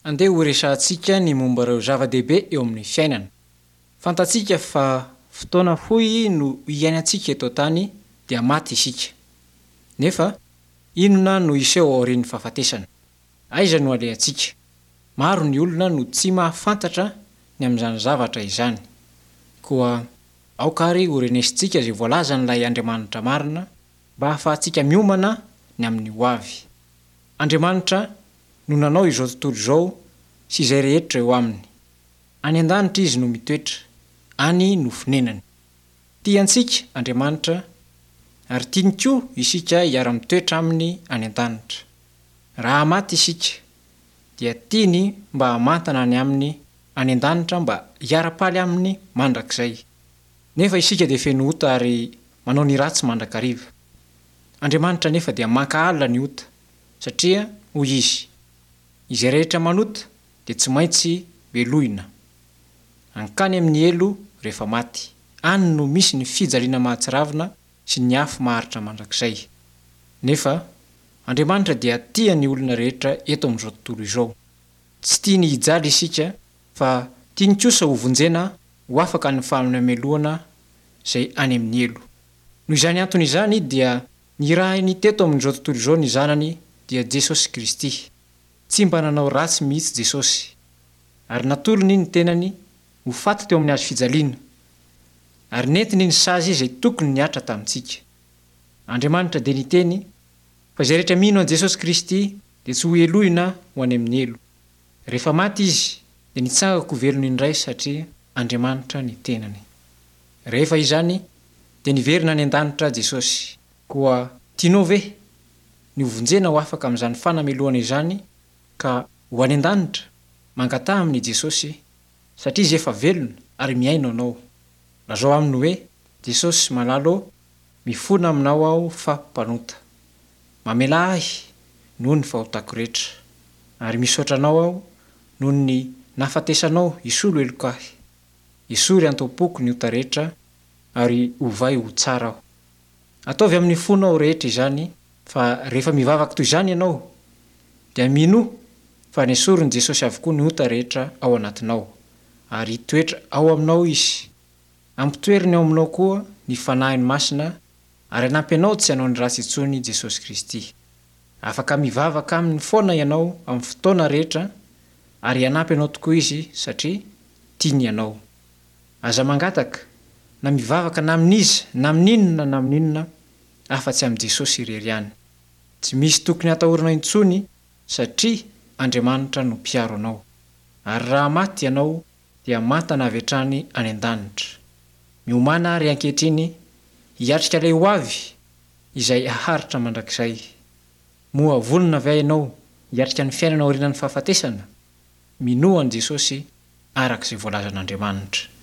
Andeha horesahantsika ny momba ireo zava-dehibe eo amin'ny fiainana. Fantatsika fa fotoana fohy no iainantsika eto an-tany dia maty isika. Nefa, inona no hiseho aorian'ny fahafatesana? Aiza no alehantsika? Maro ny olona no tsy mahafantatra ny amin'izany zavatra izany. Koa aoka àry horenesintsika izay voalazan'ilay Andriamanitra marina mba hahafahantsika miomana ny amin'ny hoavy. Andriamanitra no nanao izao tontolo izao sy izay rehetra eo aminy. Any an-danitra Izy no mitoetra, any no fonenany. Tia antsika Andriamanitra ary tiany koa isika hiara-mitoetra Aminy any an-danitra. Raha maty isika, dia tiany mba hamantana any Aminy any an-danitra mba hiara-paly Aminy mandrakizay. Nefa isika dia feno ota ary manao ny ratsy mandrakariva. Andriamanitra anefa dia mankahala ny ota, satria hoy Izy, Izay rehetra manota dia tsy maintsy melohina. Hankany amin'ny helo rehefa maty. Any no misy ny fijaliana mahatsiravina sy ny afo maharitra mandrakizay. Nefa, Andriamanitra dia tia ny olona rehetra eto amin'izao tontolo izao. Tsy tiany hijaly isika fa tiany kosa ho vonjena ho afaka ny fahamelohana izay any amin'ny helo. Noho izany antony izany dia nirahiny teto amin'izao tontolo izao ny Zanany dia Jesosy Kristy. Tsy mba nanao ratsy mihitsy Jesosy. Ary natolony ny tenany ho faty teo amin'ny hazo fijaliana. Ary nentiny ny sazy izay tokony nihatra tamintsika. Andriamanitra dia niteny fa izay rehetra mino an'i Jesosy Kristy dia tsy ho helohina ho any amin'ny helo. Rehefa maty Izy dia nitsangako ho velona indray satria Andriamanitra ny tenany. Rehefa izany dia niverina any an-danitra Jesosy. Koa tianao ve ny ho vonjena ho afaka amin'izany fanamelohana izany ka ho any an-danitra? Mangataha amin'i Jesosy satria Izy efa velona ary mihaino anao. Lazao aminy hoe, Jesosy malala ô, mifona aminao aho fa mpanota. Mamelà ahy noho ny fahotako rehetra. Ary misaotra anao aho noho ny nahafatesanao hisolo heloka ahy. Esory anto am-poko ny ota rehetra ary ovay ho tsara aho. Ataovy amin'ny fonao rehetra izany fa rehefa mivavaka toy izany ianao dia minoa fa nesorin'i Jesosy avokoa ny ota rehetra ao anatinao ary hitoetra ao aminao Izy. Ampitoeriny ao aminao koa ny Fanahiny Masina ary hanampy anao tsy hanao ny ratsy intsony Jesosy Kristy. Afaka mivavaka Aminy foana ianao amin'ny fotoana rehetra ary hanampy anao tokoa Izy satria tiany ianao. Aza mangataka na mivavaka na amin'iza na amin'inona na amin'inona afa-tsy amin'i Jesosy irery ihany. Tsy misy tokony hatahorana intsony satria Andriamanitra no mpiaro anao. Ary raha maty ianao dia mantana avy hatrany any an-danitra. Miomàna àry ankehitriny hiatrika ilay hoavy izay haharitra mandrakizay. Moa vonona ve ianao hiatrika ny fiainana aorianan'ny fahafatesana? Minoa an'i Jesosy araka izay voalazan'Andriamanitra.